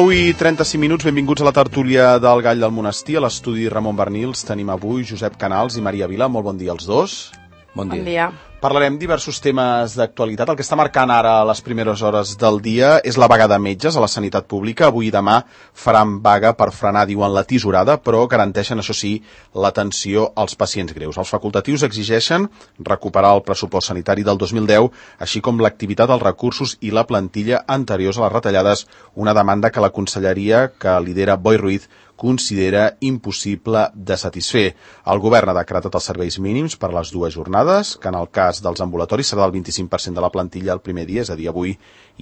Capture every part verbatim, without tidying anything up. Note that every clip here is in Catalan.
deu i trenta-cinc minuts, benvinguts a la tertúlia del Gall del Monestir. A l'estudi Ramon Bernils tenim avui Josep Canals i Maria Vila. Molt bon dia als dos. Bon dia. Bon dia. Parlarem diversos temes d'actualitat. El que està marcant ara a les primeres hores del dia és la vaga de metges a la sanitat pública. Avui i demà faran vaga per frenar, diuen, la tisorada, però garanteixen, això sí, l'atenció als pacients greus. Els facultatius exigeixen recuperar el pressupost sanitari del dos mil deu, així com l'activitat, els recursos i la plantilla anteriors a les retallades, una demanda que la conselleria que lidera Boi Ruiz considera impossible de satisfer. El govern ha decretat els serveis mínims per a les dues jornades, que en el cas dels ambulatoris serà del vint-i-cinc per cent de la plantilla el primer dia, és a dir, avui,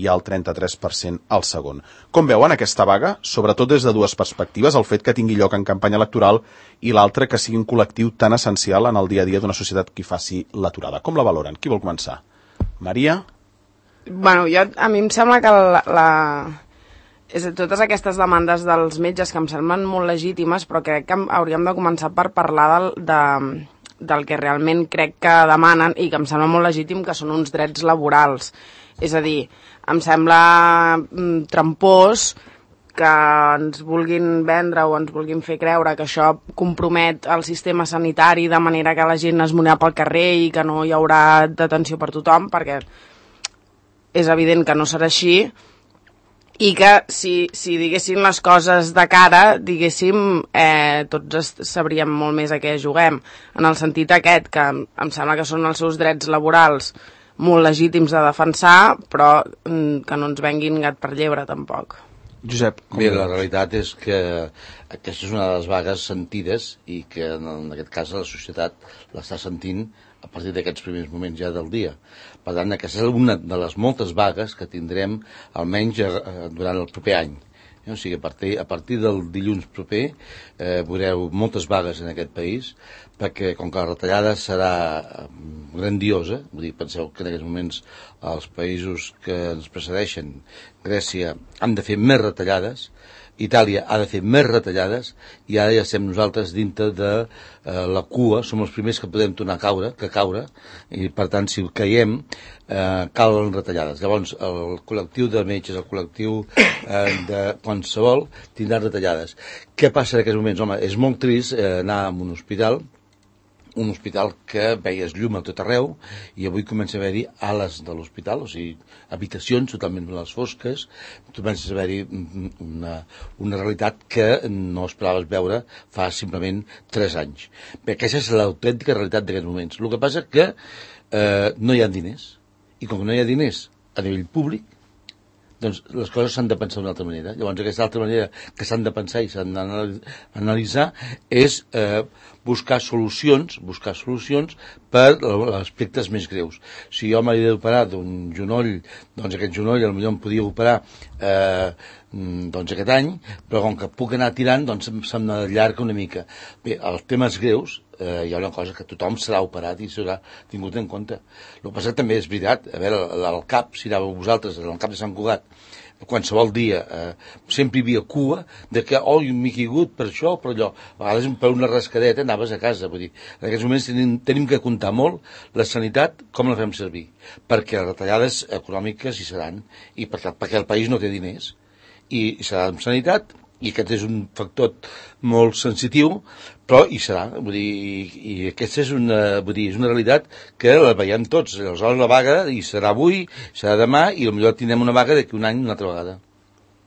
i el trenta-tres per cent el segon. Com veuen aquesta vaga? Sobretot des de dues perspectives, el fet que tingui lloc en campanya electoral i l'altre que sigui un col·lectiu tan essencial en el dia a dia d'una societat que faci l'aturada. Com la valoren? Qui vol començar? Maria? Bueno, jo, a mi em sembla que la... la... És a, totes aquestes demandes dels metges que em semblen molt legítimes, però crec que hauríem de començar per parlar del, de, del que realment crec que demanen i que em sembla molt legítim, que són uns drets laborals. És a dir, em sembla mm, trampós que ens vulguin vendre o ens vulguin fer creure que això compromet el sistema sanitari de manera que la gent es munirà pel carrer i que no hi haurà detenció per tothom, perquè és evident que no serà així. I que si, si diguéssim les coses de cara, diguéssim, eh, tots sabríem molt més a què juguem, en el sentit aquest, que em sembla que són els seus drets laborals molt legítims de defensar, però mm, que no ens venguin gat per llebre, tampoc. Josep. Bé, la realitat és que aquesta és una de les vagues sentides i que en aquest cas la societat l'està sentint a partir d'aquests primers moments ja del dia. Per tant, aquesta és una de les moltes vagues que tindrem almenys eh, durant el proper any. O sigui, a partir, a partir del dilluns proper eh, veureu moltes vagues en aquest país, perquè com que la retallada serà grandiosa, vull dir, penseu que en aquests moments els països que ens precedeixen, Grècia, han de fer més retallades, Itàlia ha de fer més retallades i ara ja estem nosaltres dintre de eh, la cua, som els primers que podem tornar a caure, que caure, i per tant si caiem eh, calen retallades. Llavors el col·lectiu de metges, el col·lectiu eh, de qualsevol tindrà retallades. Què passa en aquests moments? Home, és molt trist eh, anar a un hospital, un hospital que veies llum a tot arreu i avui comença a haver-hi ales de l'hospital, o sigui, habitacions totalment a les fosques, comença a haver-hi una, una realitat que no esperaves veure fa simplement tres anys. Bé, aquesta és l'autèntica realitat d'aquests moments. El que passa que eh, no hi ha diners, i com que no hi ha diners a nivell públic, doncs les coses s'han de pensar d'una altra manera. Llavors aquesta altra manera que s'han de pensar i s'han d'analitzar és eh, buscar solucions, buscar solucions per als aspectes més greus. Si jo m'he d'operar d'un genoll, doncs aquest genoll potser em podia operar eh, doncs aquest any, però com que puc anar tirant, doncs se'm allarga una mica. Bé, els temes greus, eh, hi ha una cosa que tothom serà operat i serà tingut en compte. El que passa també és veritat, a veure, al cap, si anàveu vosaltres, al cap de Sant Cugat, qualsevol dia, eh, sempre hi havia cua de que, oh, m'he caigut per això o per allò. A vegades per una rascadeta anaves a casa. Vull dir, en aquests moments tenim, tenim que comptar molt la sanitat, com la fem servir, perquè les retallades econòmiques hi seran, i perquè, perquè el país no té diners, i, i serà en sanitat, i aquest és un factor molt sensitiu, però hi serà, vull dir, i, i aquesta és una, vull dir, és una realitat que la veiem tots. Aleshores la vaga hi serà avui, serà demà, i potser tindrem una vaga d'aquí un any una altra vegada.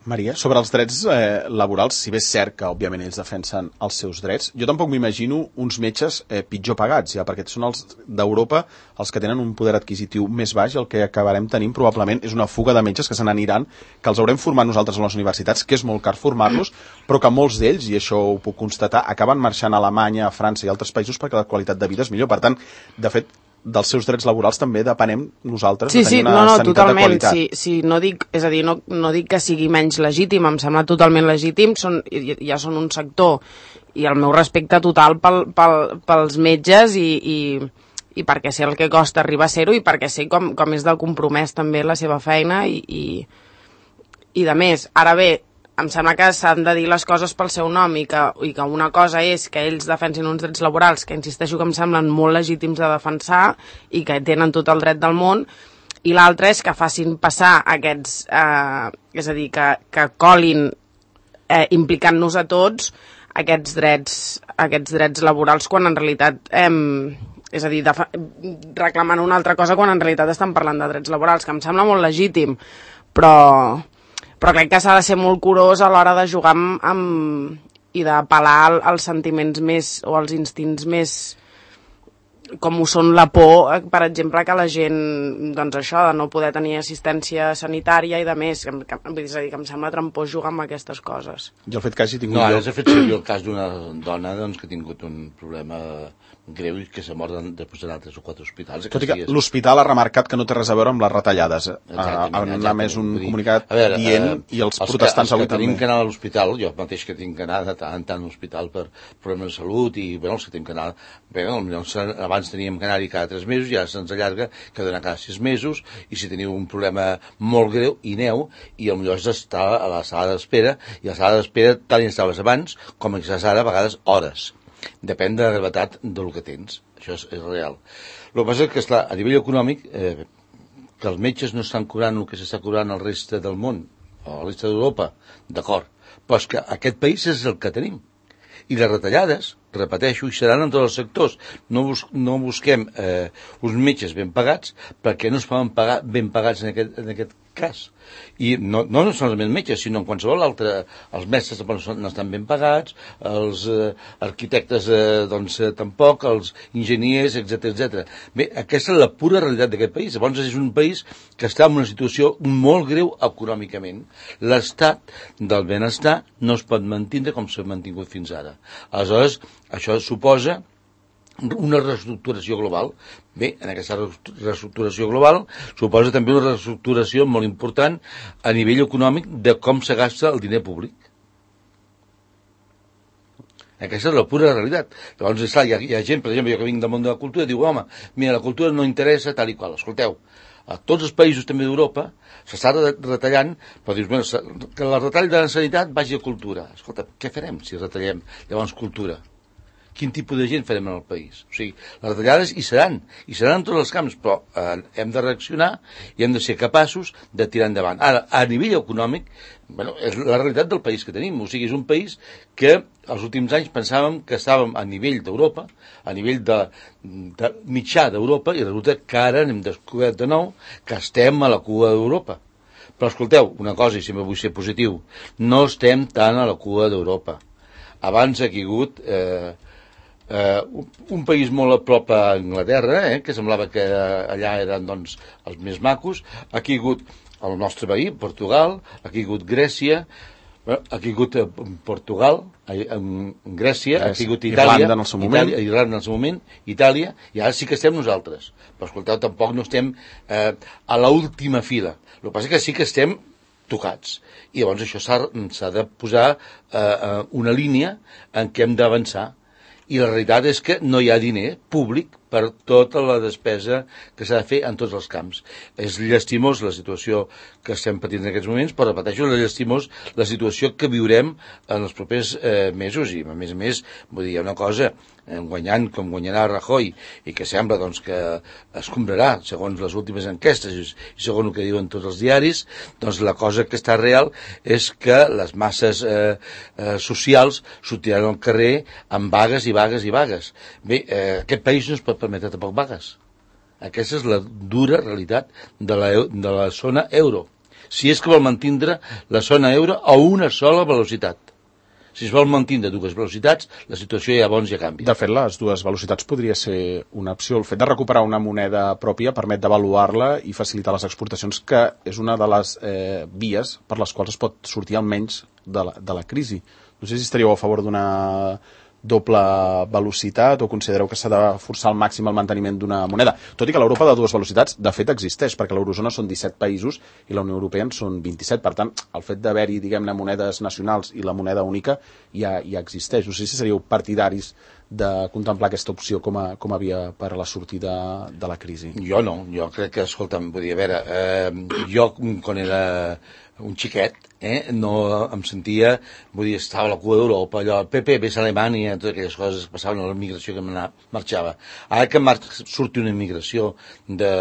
Maria, sobre els drets eh, laborals, si bé és cert que, òbviament, ells defensen els seus drets, jo tampoc m'imagino uns metges eh, pitjor pagats, ja, perquè són els d'Europa els que tenen un poder adquisitiu més baix, i el que acabarem tenint probablement és una fuga de metges que se n'aniran, que els haurem format nosaltres a les universitats, que és molt car formar-los, però que molts d'ells, i això ho puc constatar, acaben marxant a Alemanya, a França i altres països perquè la qualitat de vida és millor. Per tant, de fet, dels seus drets laborals també depenem nosaltres sí, de tenir sí, una no, no, sanitat totalment. de qualitat. Sí, sí, no dic, és a dir, no, no dic que sigui menys legítim, em sembla totalment legítim, són, ja són un sector, i el meu respecte total pel, pel, pels metges i, i, i perquè sé el que costa arribar a ser-ho i perquè sé com, com és de compromès també la seva feina i, i, i de més. Ara bé, em sembla que s'han de dir les coses pel seu nom i que, i que una cosa és que ells defensin uns drets laborals que insisteixo que em semblen molt legítims de defensar i que tenen tot el dret del món, i l'altra és que facin passar aquests, eh, és a dir, que, que colin eh, implicant-nos a tots aquests drets, aquests drets laborals quan en realitat, eh, és a dir, reclamant una altra cosa quan en realitat estan parlant de drets laborals, que em sembla molt legítim, però, però crec que s'ha de ser molt curós a l'hora de jugar amb, amb, i d'apel·lar als sentiments més, o als instints més, com ho són la por, per exemple, que la gent, doncs això, de no poder tenir assistència sanitària i de més, que, que, és a dir, que em sembla trampós jugar amb aquestes coses. I el fet que hagi tingut... No, ara s'ha fet servir el cas d'una dona doncs, que ha tingut un problema greu i que s'ha mort després d'anar a tres o quatre hospitals. Tot i que l'hospital ha remarcat que no té res a veure amb les retallades. Ha més un comunicat veure, dient, uh, i els, els protestants que, els avui que també. tenim que anar a l'hospital, jo mateix que tinc que anar de tant en tant a l'hospital per problemes de salut, i bueno, els que tenim que anar... Bé, abans teníem que anar-hi cada tres mesos, i ara se'ns allarga que ha d'anar cada sis mesos, i si teniu un problema molt greu, hi aneu, i potser és estar a la sala d'espera, i a la sala d'espera tant hi estaves abans com estàs ara, a vegades hores. Depèn de la gravetat del que tens. Això és, és real. El que passa és que, esclar, a nivell econòmic, eh, que els metges no estan cobrant el que s'està cobrant al reste del món, o a la resta d'Europa, d'acord, però és que aquest país és el que tenim. I les retallades, repeteixo, hi seran en tots els sectors. No, bus no busquem eh, uns metges ben pagats, perquè no es poden pagar ben pagats en aquest, en aquest cas. I no, no solament metges, sinó en qualsevol altre. Els mestres no estan ben pagats, els eh, arquitectes eh, doncs, eh, tampoc, els enginyers, etcètera, etcètera. Bé, aquesta és la pura realitat d'aquest país. Llavors és un país que està en una situació molt greu econòmicament. L'estat del benestar no es pot mantenir com s'ha mantingut fins ara. Aleshores, això suposa una reestructuració global. Bé, en aquesta reestructuració global suposa també una reestructuració molt important a nivell econòmic de com se gasta el diner públic. Aquesta és la pura realitat. Llavors, esclar, hi, ha, hi ha gent, per exemple, jo que vinc del món de la cultura, diu, home, mira, la cultura no interessa tal i qual. Escolteu, a tots els països també d'Europa s'està retallant, però dius, bueno, que el retall de la sanitat vagi a cultura. Escolta, què farem si retallem llavors cultura? Quin tipus de gent farem en el país? O sigui, les retallades hi seran, hi seran en tots els camps, però eh, hem de reaccionar i hem de ser capaços de tirar endavant. Ara, a nivell econòmic, bueno, és la realitat del país que tenim. O sigui, és un país que els últims anys pensàvem que estàvem a nivell d'Europa, a nivell de, de mitjà d'Europa, i resulta que ara hem descobert de nou que estem a la cua d'Europa. Però escolteu, una cosa, i sempre vull ser positiu, no estem tant a la cua d'Europa. Abans ha caigut... Eh, Uh, un país molt a prop a Anglaterra, eh, que semblava que allà eren doncs, els més macos, ha caigut el nostre veí, Portugal, ha caigut Grècia, ha caigut Portugal, en Grècia, ha caigut Itàlia, Irlanda en el seu moment, Itàlia, Irlanda en el seu moment, Itàlia, i ara sí que estem nosaltres. Però escolteu, tampoc no estem eh, a l'última fila. El que passa és que sí que estem tocats. I llavors això s'ha de posar eh, una línia en què hem d'avançar. I la realitat és que no hi ha diner públic per tota la despesa que s'ha de fer en tots els camps. És llastimós la situació que estem patint en aquests moments, però repeteixo, és llastimós la situació que viurem en els propers eh, mesos. I a més a més, vull dir, hi ha una cosa, eh, guanyant com guanyarà Rajoy, i que sembla doncs, que es comprarà, segons les últimes enquestes i segons el que diuen tots els diaris, doncs la cosa que està real és que les masses eh, eh, socials sortiran al carrer amb vagues i vagues i vagues. Bé, eh, aquest país no es pot permetre tampoc vagues. Aquesta és la dura realitat de la, de la zona euro. Si és que vol mantindre la zona euro a una sola velocitat. Si es vol mantindre dues velocitats, la situació ja bons ja canvia. De fet, les dues velocitats podria ser una opció. El fet de recuperar una moneda pròpia permet d'avaluar-la i facilitar les exportacions, que és una de les eh, vies per les quals es pot sortir almenys de la, de la crisi. No sé si estaríeu a favor d'una doble velocitat o considereu que s'ha de forçar al màxim el manteniment d'una moneda. Tot i que l'Europa de dues velocitats, de fet, existeix, perquè l'eurozona són disset països i la Unió Europea en són vint-i-set. Per tant, el fet d'haver-hi, diguem-ne, monedes nacionals i la moneda única ja, ja existeix. No sé si seríeu partidaris de contemplar aquesta opció com a, com a via per a la sortida de la crisi. Jo no, jo crec que, escolta'm, vull dir, a veure, eh, jo quan era un xiquet, eh, no em sentia, vull dir, estava a la cua d'Europa, allò, el P P, ves a Alemanya, totes aquelles coses que passaven a la migració que marxava. Ara que mar surti una immigració de,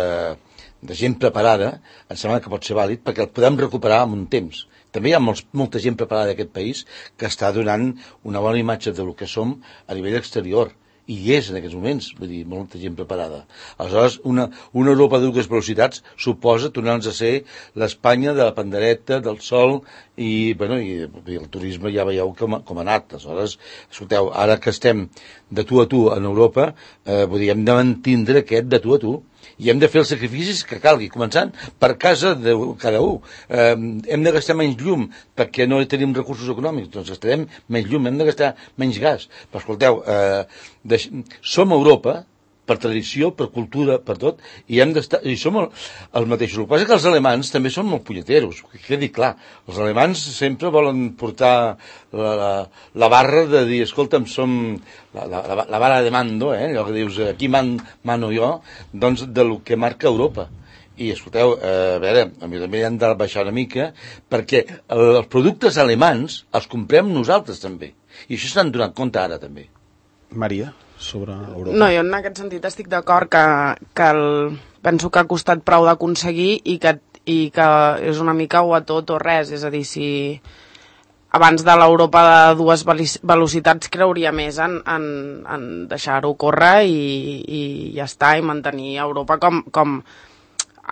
de gent preparada, em sembla que pot ser vàlid perquè el podem recuperar en un temps, també hi ha molts, molta gent preparada d'aquest país que està donant una bona imatge del que som a nivell exterior, i hi és en aquests moments, vull dir, molta gent preparada. Aleshores, una, una Europa de dues velocitats suposa tornar-nos a ser l'Espanya de la pandereta, del sol, i, bueno, i, i el turisme ja veieu com, com ha anat. Aleshores, escolteu, ara que estem de tu a tu en Europa, eh, vull dir, hem de mantindre aquest de tu a tu, i hem de fer els sacrificis que calgui, començant per casa de cada un. Eh, hem de gastar menys llum perquè no tenim recursos econòmics, doncs gastarem menys llum, hem de gastar menys gas. Però escolteu, eh, deix... som Europa, per tradició, per cultura, per tot, i hem d'estar, i som el, els mateixos. El que passa és que els alemans també són molt punyeteros, que quedi clar. Els alemans sempre volen portar la, la, la barra de dir, escolta'm, som la, la, la vara de mando, eh? Allò que dius, aquí man, mano jo, doncs del que marca Europa. I, escolteu, eh, a veure, a mi també hem de baixar una mica, perquè els productes alemans els comprem nosaltres també. I això s'han donat compte ara també. Maria, sobre Europa. No, jo en aquest sentit estic d'acord que, que el, penso que ha costat prou d'aconseguir i que, i que és una mica o a tot o res. És a dir, si abans de l'Europa de dues velocitats creuria més en, en, en deixar-ho córrer i, i ja està, i mantenir Europa com, com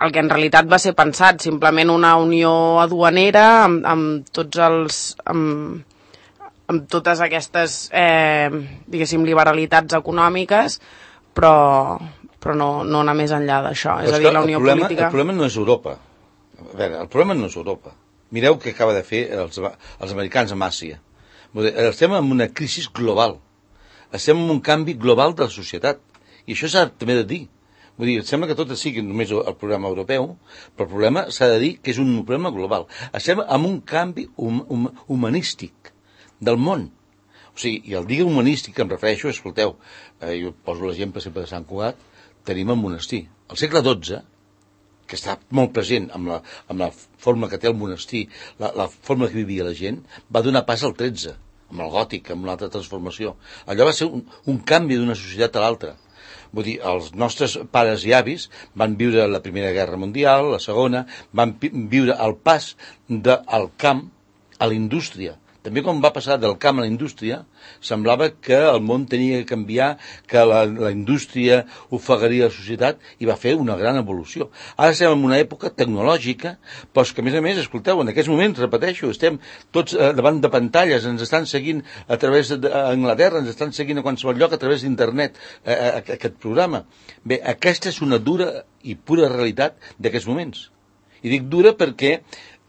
el que en realitat va ser pensat, simplement una unió aduanera amb, amb tots els... Amb, amb totes aquestes, eh, diguéssim, liberalitats econòmiques, però, però no, no anar més enllà d'això. És a dir, la unió el problema, política... El problema no és Europa. A veure, el problema no és Europa. Mireu què acaba de fer els, els americans amb Àsia. Estem en una crisi global. Estem en un canvi global de la societat. I això s'ha també de dir. Vull dir, sembla que tot sigui només el problema europeu, però el problema s'ha de dir que és un problema global. Estem en un canvi hum, hum, humanístic del món. O sigui, i el dia humanístic que em refereixo, escolteu, eh, jo poso l'exemple sempre de Sant Cugat, tenim el monestir. Al segle dotze, que està molt present amb la, amb la forma que té el monestir, la, la forma que vivia la gent, va donar pas al tretze, amb el gòtic, amb una altra transformació. Allò va ser un, un canvi d'una societat a l'altra. Vull dir, els nostres pares i avis van viure la Primera Guerra Mundial, la Segona, van viure el pas del camp a la indústria. També quan va passar del camp a la indústria, semblava que el món tenia que canviar, que la, la indústria ofegaria la societat, i va fer una gran evolució. Ara estem en una època tecnològica, però que a més a més, escolteu, en aquests moments, repeteixo, estem tots eh, davant de pantalles, ens estan seguint a través d'Anglaterra, ens estan seguint a qualsevol lloc a través d'internet, eh, aquest programa. Bé, aquesta és una dura i pura realitat d'aquests moments. I dic dura perquè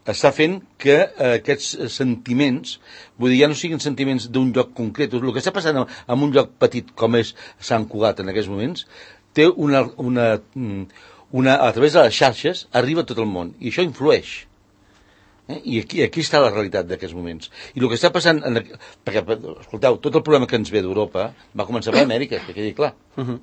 està fent que eh, aquests sentiments, vull dir, ja no siguin sentiments d'un lloc concret. El que està passant en un lloc petit com és Sant Cugat en aquests moments, té una, una, una, a través de les xarxes, arriba a tot el món, i això influeix. Eh? I aquí, aquí està la realitat d'aquests moments. I el que està passant, en, perquè, escolteu, tot el problema que ens ve d'Europa va començar per Amèrica, que quedi clar. Uh-huh.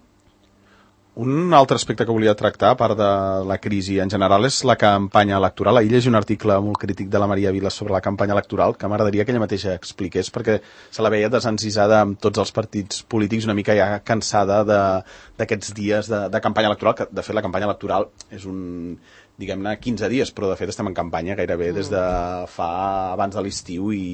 Un altre aspecte que volia tractar, a part de la crisi en general, és la campanya electoral. Ahir llegi un article molt crític de la Maria Vilas sobre la campanya electoral, que m'agradaria que ella mateixa expliqués, perquè se la veia desencisada amb tots els partits polítics, una mica ja cansada d'aquests dies de, de campanya electoral, que de fet la campanya electoral és un, diguem-ne, quinze dies, però de fet estem en campanya gairebé des de fa abans de l'estiu i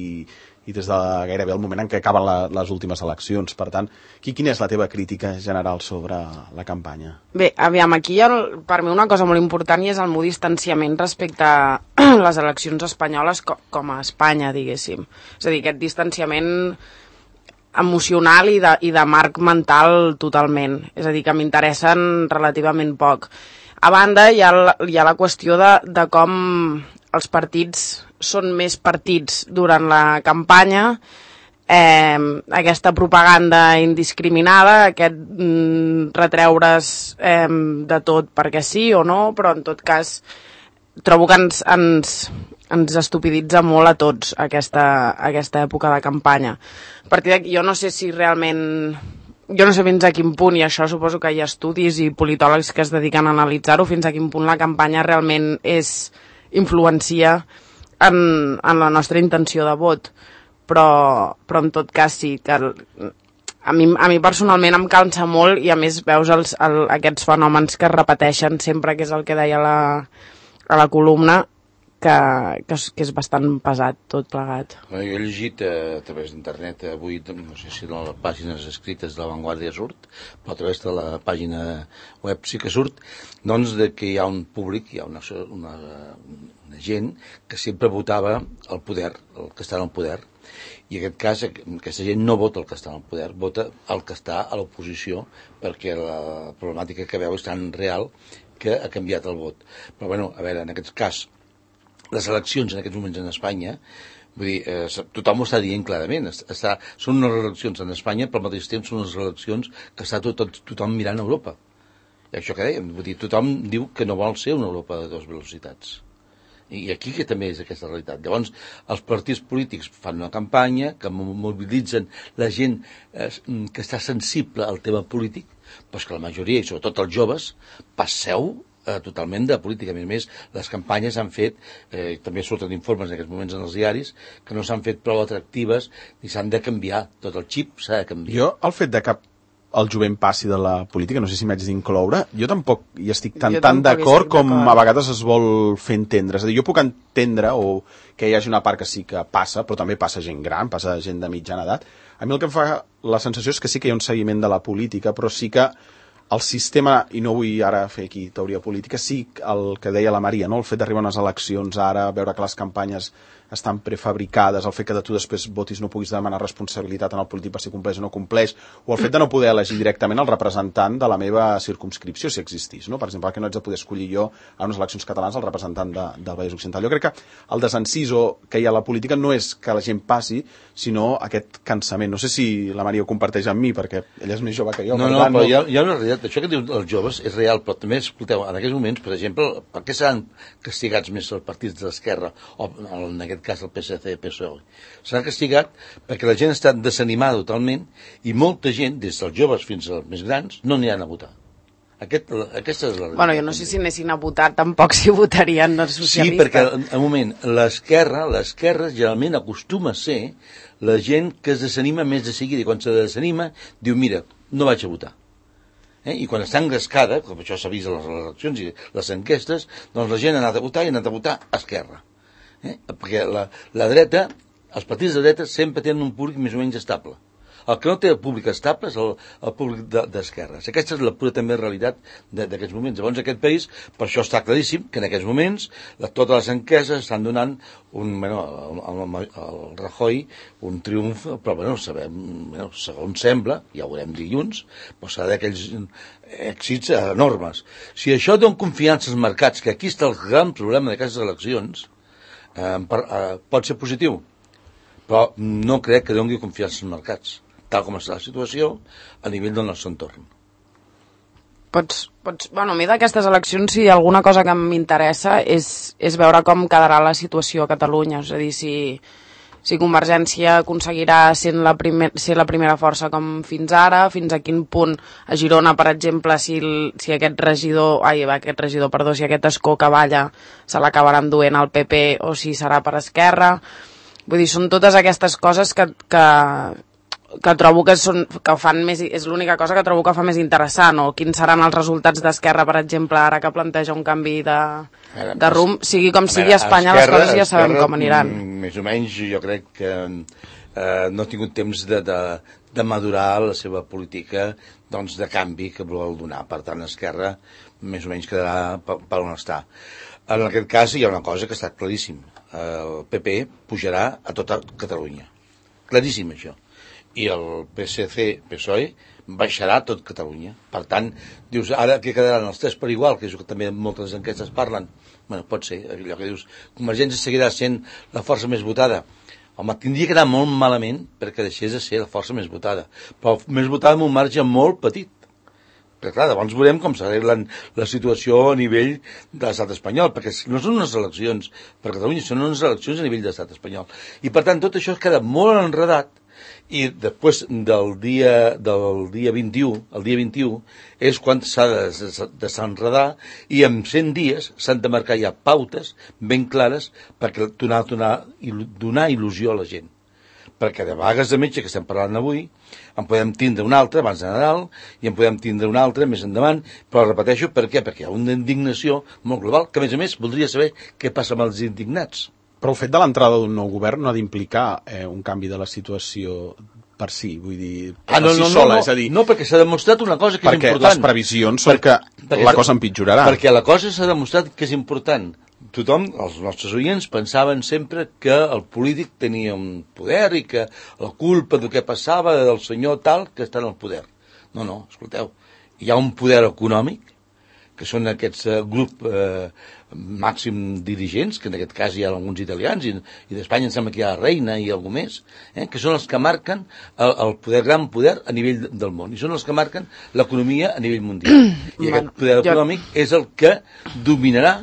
i des de gairebé el moment en què acaben la, les últimes eleccions. Per tant, qui, quina és la teva crítica general sobre la campanya? Bé, aviam, aquí hi ha per mi una cosa molt important i és el meu distanciament respecte a les eleccions espanyoles com, com a Espanya, diguéssim. És a dir, aquest distanciament emocional i de, i de marc mental totalment. És a dir, que m'interessen relativament poc. A banda, hi ha la, hi ha la qüestió de, de com els partits són més partits durant la campanya, eh, aquesta propaganda indiscriminada, aquest mm, retreure's eh, de tot perquè sí o no, però en tot cas trobo que ens, ens, ens estupiditza molt a tots aquesta, aquesta època de campanya. A partir d'aquí jo no sé si realment... Jo no sé fins a quin punt, i això suposo que hi ha estudis i politòlegs que es dediquen a analitzar-ho, fins a quin punt la campanya realment és influencia en, en la nostra intenció de vot, però, però en tot cas sí, que el, a, mi, a mi personalment em cansa molt i a més veus els, el, aquests fenòmens que es repeteixen sempre, que és el que deia la, a la columna, que, que, que és bastant pesat tot plegat. Jo he llegit a, a través d'internet avui, no sé si de les pàgines escrites de La Vanguardia surt, però a través de la pàgina web sí que surt, doncs de que hi ha un públic, hi ha una, una, una gent que sempre votava el poder, el que està en el poder, i en aquest cas aquesta gent no vota el que està en el poder, vota el que està a l'oposició, perquè la problemàtica que veu és tan real que ha canviat el vot. Però bueno, a veure, en aquest cas les eleccions en aquests moments en Espanya, vull dir, eh, tothom ho està dient clarament, està, són unes eleccions en Espanya, però al mateix temps són unes eleccions que està tot, tot, tothom mirant a Europa. I això que dèiem, vull dir, tothom diu que no vol ser una Europa de dues velocitats. I aquí que també és aquesta realitat. Llavors, els partits polítics fan una campanya que mobilitzen la gent eh, que està sensible al tema polític, però que la majoria, i sobretot els joves, passeu totalment de política. A més a més, les campanyes han fet, eh, també surten informes en aquests moments en els diaris, que no s'han fet prou atractives i s'han de canviar. Tot el xip s'ha de canviar. Jo, el fet de que el jovent passi de la política, no sé si m'haig d'incloure, jo tampoc hi estic tan, tan d'acord com a vegades es vol fer entendre. És a dir, jo puc entendre o que hi hagi una part que sí que passa, però també passa gent gran, passa gent de mitjana edat. A mi el que em fa la sensació és que sí que hi ha un seguiment de la política, però sí que el sistema, i no vull ara fer aquí teoria política, sí el que deia la Maria, no? El fet d'arribar a unes eleccions ara, veure que les campanyes estan prefabricades, el fet que de tu després votis no puguis demanar responsabilitat en el polític per si compleix o no compleix, o el fet de no poder elegir directament el representant de la meva circumscripció, si existís, no? Per exemple, que no haig de poder escollir jo a unes eleccions catalanes el representant de, del Vallès Occidental. Jo crec que el desenciso que hi ha a la política no és que la gent passi, sinó aquest cansament. No sé si la Maria ho comparteix amb mi, perquè ella és més jove que jo. No, no, tant, però no... Hi, ha, hi ha una realitat. Això que diuen els joves és real, però també, escolteu, en aquests moments, per exemple, per què seran castigats més els partits de l'esquerra, o en aquest cas el P S C, P S O E? S'ha castigat perquè la gent està desanimada totalment i molta gent, des dels joves fins als més grans, no aniran a votar. Aquest, aquesta és la realitat. Bueno, jo no sé si anessin a votar, tampoc si votarien els socialistes. Sí, perquè, en un moment, l'esquerra, l'esquerra generalment acostuma a ser la gent que es desanima més de seguida, i quan se desanima, diu, mira, no vaig a votar. Eh? I quan està engrescada, com això s'ha vist a les eleccions i les enquestes, doncs la gent ha anat a votar i ha anat a votar a esquerra. Eh? Perquè la, la dreta, els partits de dreta sempre tenen un públic més o menys estable. El que no té el públic estable és el, el públic d'esquerres. De, aquesta és la pura també realitat d'aquests moments. Llavors aquest país, per això està claríssim que en aquests moments la, totes les enquestes estan donant un, bueno, al, al, al Rajoy un triomf, però bueno, sabem, bueno, segons sembla, ja ho veurem dilluns, però serà d'aquells èxits enormes. Si això dona confiança als mercats, que aquí està el gran problema d'aquestes eleccions, eh, per, eh, pot ser positiu, però no crec que doni confiança als mercats, tal com està la situació a nivell del nostre entorn. Pots, pots, bueno, a mi d'aquestes eleccions, si alguna cosa que m'interessa és, és veure com quedarà la situació a Catalunya, és a dir, si, si Convergència aconseguirà ser la, primer, ser la primera força com fins ara, fins a quin punt a Girona, per exemple, si, si aquest regidor, ai, aquest regidor, perdó, si aquest escó que balla se l'acabaran duent al P P o si serà per Esquerra. Vull dir, són totes aquestes coses que, que, que trobo que, són, que fan més, és l'única cosa que trobo que fa més interessant, o quins seran els resultats d'Esquerra, per exemple, ara que planteja un canvi de, de rumb, sigui com sigui a Espanya, les coses ja sabem com aniran. Més o menys jo crec que eh, no ha tingut temps de, de, de madurar la seva política, doncs, de canvi que vol donar. Per tant, Esquerra més o menys quedarà per, per on està. En aquest cas hi ha una cosa que està claríssim. El P P pujarà a tota Catalunya. Claríssim, això. I el P S C, P S O E, baixarà a tot Catalunya. Per tant, dius, ara que quedaran els tres per igual, que és el que també moltes enquestes parlen. Bueno, pot ser, allò que dius, Convergència seguirà sent la força més votada. Home, tindria que anar molt malament perquè deixés de ser la força més votada. Però més votada amb un marge molt petit. Perquè, clar, llavors veurem com s'arreglen la situació a nivell de l'estat espanyol, perquè no són unes eleccions per Catalunya, són unes eleccions a nivell de l'estat espanyol. I, per tant, tot això es queda molt enredat, i després del dia, del dia vint-i-u, el dia vint-i-u, és quan s'ha de desenredar, i en cent dies s'han de marcar ja pautes ben clares perquè donar, donar, donar il·lusió a la gent. perquè de vagues de metge que estem parlant avui en podem tindre una altra abans de Nadal i en podem tindre una altra més endavant, però repeteixo, per què? Perquè hi ha una indignació molt global, que a més a més voldria saber què passa amb els indignats. Però el fet de l'entrada d'un nou govern no ha d'implicar eh, un canvi de la situació per si, vull dir, per ah, no, si no, sola, no, és a dir... No, perquè s'ha demostrat una cosa que és important. Perquè les previsions són que la cosa empitjorarà. Perquè la cosa s'ha demostrat que és important. Tothom, els nostres oients, pensaven sempre que el polític tenia un poder i que la culpa del que passava del senyor tal que està en el poder. No, no, escolteu, hi ha un poder econòmic, que són aquests eh, grup eh, màxim dirigents, que en aquest cas hi ha alguns italians, i, i d'Espanya em sembla que hi ha la reina i algú més, eh, que són els que marquen el, el poder, gran poder a nivell del món, i són els que marquen l'economia a nivell mundial. I aquest poder econòmic és el que dominarà,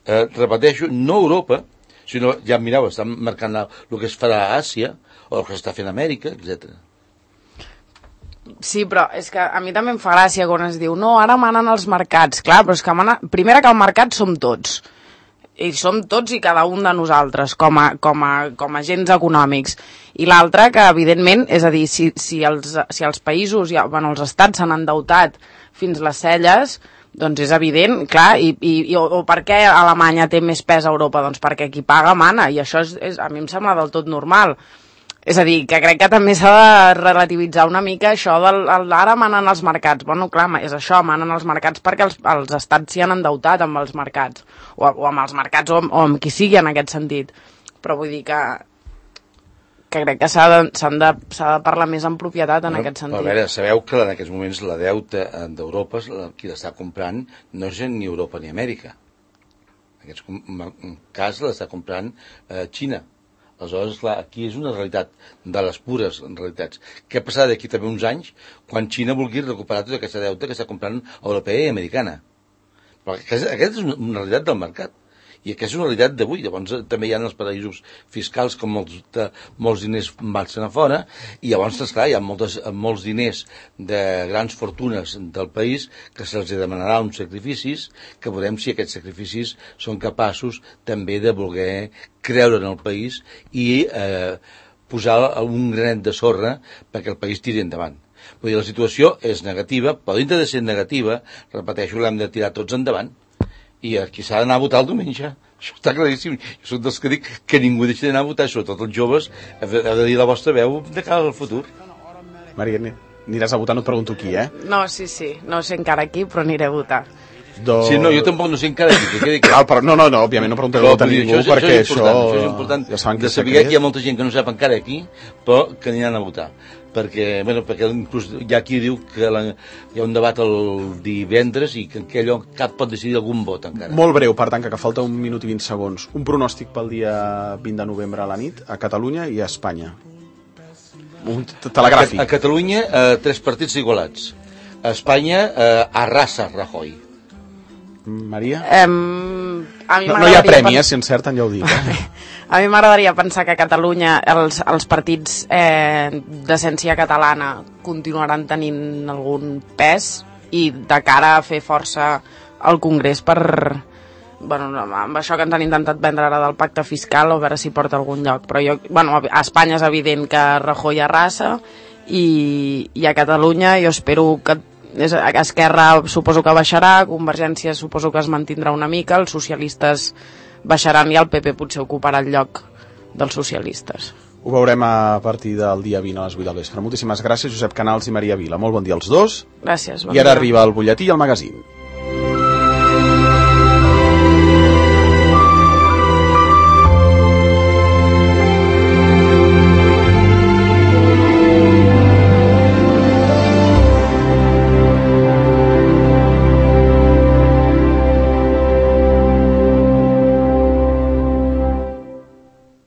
Eh, repeteixo, no Europa, sinó, ja mireu, estan marcant la, el que es farà a Àsia, o el que s'està fent a Amèrica, etcètera. Sí, però és que a mi també em fa gràcia quan es diu no, ara manen els mercats. Clar, però és que mana... primera que el mercat som tots. I som tots i cada un de nosaltres, com a, com a, com a agents econòmics. I l'altra, que evidentment, és a dir, si, si, els, si els països, ja, bueno, els estats s'han endeutat fins les celles, doncs és evident, clar, i, i, o, o per què Alemanya té més pes a Europa? Doncs perquè qui paga mana, i això és, és, a mi em sembla del tot normal. És a dir, que crec que també s'ha de relativitzar una mica això del ara manen els mercats. Bueno, clar, és això, manen els mercats perquè els, els estats s'hi han endeutat amb els mercats, o, o amb els mercats, o, o amb qui sigui en aquest sentit. Però vull dir que que crec que s'ha de, de, de parlar més en propietat en no, aquest sentit. A veure, sabeu que en aquests moments la deuta d'Europa, qui l'està comprant, no és ni Europa ni Amèrica. En aquest cas l'està comprant eh, Xina. Aleshores, clar, aquí és una realitat de les pures realitats. Què passarà d'aquí també uns anys quan Xina vulgui recuperar tota aquesta deuta que està comprant europea i americana? Però aquesta és una realitat del mercat. I aquesta és una realitat d'avui. Llavors també hi ha els paraïsos fiscals com molts, de, molts diners marxen a fora i llavors, esclar, hi ha moltes, molts diners de grans fortunes del país que se'ls demanarà uns sacrificis que veurem si aquests sacrificis són capaços també de voler creure en el país i eh, posar un granet de sorra perquè el país tiri endavant. Vull dir, la situació és negativa, però dintre de ser negativa, repeteixo, l'hem de tirar tots endavant. I aquí s'ha d'anar a votar el diumenge. Això està claríssim. Jo soc dels que dic que ningú deixi d'anar a votar, sobretot els joves, heu de dir la vostra veu de cara al futur. Maria, aniràs a votar, no et pregunto qui, eh? No, sí, sí, no sé encara qui, però aniré a votar. Do... Sí, no, jo tampoc no sé encara qui. Que dic... Clar, però, no, no, no, òbviament no preguntaré a votar ningú, això, perquè això... Això, això és important, ja de saber que hi ha molta gent que no sap encara qui, però que aniran a votar. Perquè, bueno, perquè inclús hi ha qui diu que la, hi ha un debat el divendres i que allò cap pot decidir algun vot encara. Molt breu, per tant, que falta un minut i vint segons. Un pronòstic pel dia vint de novembre a la nit a Catalunya i a Espanya. Un telegràfic. A, a Catalunya, eh, tres partits igualats. A Espanya, eh, arrasa Rajoy. Maria? Um, a mi no, no hi ha premi, eh, si encerten ja ho dic. Eh? A mi m'agradaria pensar que a Catalunya els, els partits eh, d'essència catalana continuaran tenint algun pes i de cara a fer força al Congrés per, bueno, amb això que ens han intentat vendre ara del pacte fiscal, o veure si porta a algun lloc. Però jo, bueno, a Espanya és evident que Rajoy arrasa i, i a Catalunya jo espero que és, Esquerra suposo que baixarà, Convergència suposo que es mantindrà una mica, els socialistes baixaran i el P P potser ocuparà el lloc dels socialistes. Ho veurem a partir del dia vint a les vuit del vespre. Moltíssimes gràcies, Josep Canals i Maria Vila. Molt bon dia als dos. Gràcies. Bon I ara dia. arriba el butlletí i el magazín.